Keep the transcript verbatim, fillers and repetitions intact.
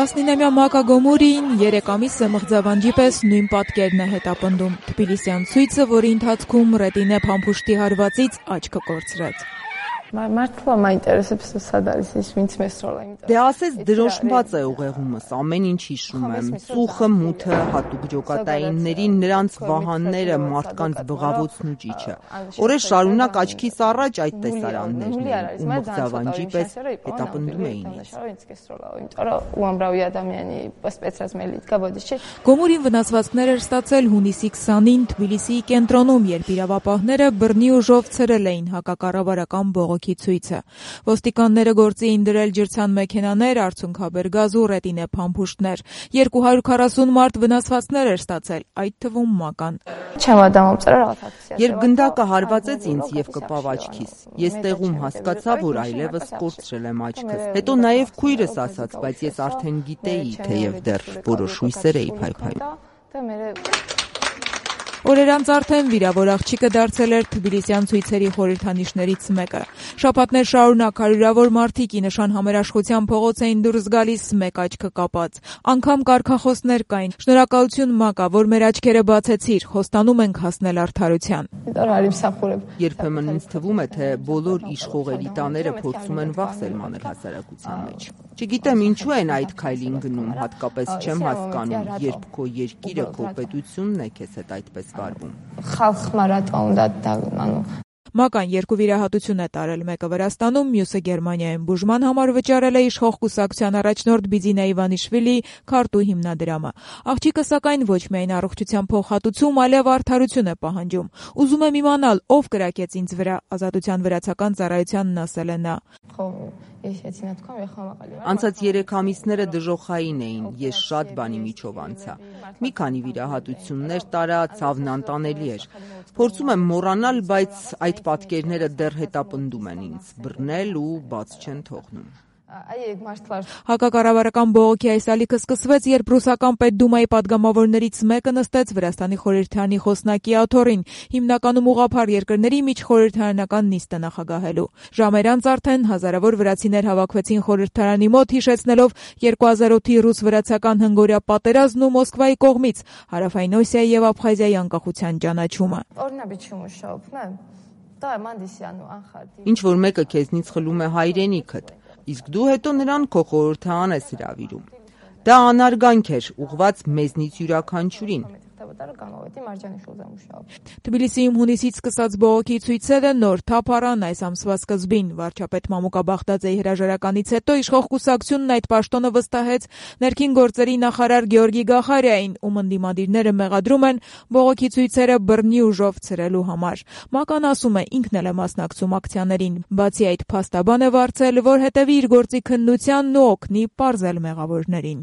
տասնինամյա Մակա Գոմուրին երեք ամիս է մղձավանջի պես նույն պատկերն է հետապնդում։ Թբիլիսյան ցույցը, որի ընթացքում ռետինե փամփուշտի հարվածից աչքը կորցրեց։ Մարդու մայինտերեսებს սад არის ის ვინც მესროლა იმიტომ Դե ասես դրոշմված է ուղեղումս, ամեն ինչ հիշում եմ, ծուխը, մութը, հատուկ ջոկատայիններին, նրանց վահանները, մարդկանց բղավոցն ու ճիչը։ Օրեր շարունակ աչքիս առաջ այդ տեսարաններն էին, ու մղձավանջի պես հետապնդում էին ինձ։ Գոմուրին վնասվածքներ էր ստացել հունիսի քսանին Թբիլիսիի կենտրոնում, երբ իրավապահները բռնի ուժով ցրել էին հակակառավարական բողոքի ցույցը։ Ոստիկանները գործի էին դրել ջրցան մեքենաներ, արցունքաբեր գազ ու ռետինե փամփուշտներ։ երկու հարյուր քառասուն մարդ վնասվածքներ էր ստացել, այդ թվում Մական։ Երբ գնդակը հարվածեց ինձ եւ կպավ աչքիս, ես տեղում հասկացա, որ այլևս կորցրել եմ աչքս։ Հետո նաեւ քույրս ասաց, բայց ես արդեն գիտեի, թեև դեռ որոշ հույսեր էի փայփայում։ Օրեր անց արդեն վիրավոր աղջիկը դարձել էր թբիլիսյան ցույցերի խորհրդանիշներից մեկը։ Շաբաթներ շարունակ հարյուրավոր մարդիկ ի նշան համերաշխության փողոց էին դուրս գալիս մեկ աչքը կապած։ Անգամ կարգախոսներ կային. «Շնորհակալություն Մակա, որ մեր աչքերը բացեցիր, խոստանում ենք հասնել արդարության»։ Երբեմն ինձ թվում է, թե բոլոր իշխող էլիտաները փորձում են վախսել մանր հասարակության մեջ։ Չգիտեմ ինչու են այդ քայլին գնում, հատկապես չեմ հասկանում, երբ քո երկիրը, քո պետությունն է քեզ հետ այդպես Մական երկու վիրահատություն է տարել, մեկը Վրաստանում, մյուսը Գերմանիայում։ Բուժման համար վճարել է իշխող կուսակցության առաջնորդ Բիձինա Իվանիշվիլի քարտու հիմնադրամը։ Աղջիկը սակայն ոչ միայն առողջության փոխհատուցում, այլև արդարություն է պահանջում։ Ուզում եմ իմանալ, ով կրակեց ինձ վրա, Ազատության վրացական ծառայությանն ասել է նա։ Անցած երեք ամիսները դժոխային էին, ես շատ բանի միջով անցա։ Մի քանի վիրահատություններ տարա, ցավն անտանելի էր։ Փորձում եմ մոռանալ, բայց այդ պատկերները դեռ հետապնդում են ինձ, բռնել ու բաց չեն թողնում։ Հակակառավարական բողոքի այս ալիքը սկսվեց, երբ ռուսական Պետդումայի падգամավորներից մեկը նստեց Վրաստանի խորհրդարանի խոսնակի աթոռին, հիմնականում ուղղափառ երկրների միջխորհրդարանական նիստը նախագահելու։ Ժամեր անց արդեն հազարավոր վրացիներ հավաքվեցին խորհրդարանի մոտ, հիշեցնելով երկու հազար ութի ռուս-վրացական հնգօրյա պատերազմն ու Մոսկվայի կողմից Հարավային Օսիայի եւ Աբխազիայի անկախության ճանաչումը։ Ինչ որ մեկը քեզնից խլում է հայրենիքդ, իսկ դու հետո նրան քո խորհրդարան ես հրավիրում։ Դա անարգանք էր, ուղղված մեզնից յուրաքանչյուրին։ Թբիլիսիում հունիսից սկսած բողոքի ցույցերը նոր թափ առան այս ամսվա սկզբին։ Վարչապետ Մամուկա Բաղդաձեի հրաժարականից հետո իշխող կուսակցությունն այդ պաշտոնը վստահեց ներքին գործերի նախարար Գեորգի Գախարիային, ում ընդդիմադիրները մեղադրում են բողոքի ցույցերը բռնի ուժով ցրելու համար։ Մական ասում է, ինքն էլ է մասնակցում ակցիաներին։ Բացի այդ, փաստաբան է վարձել, որ հետևի իր գործի քննությանն ու օգնի պարզել մեղավորներին։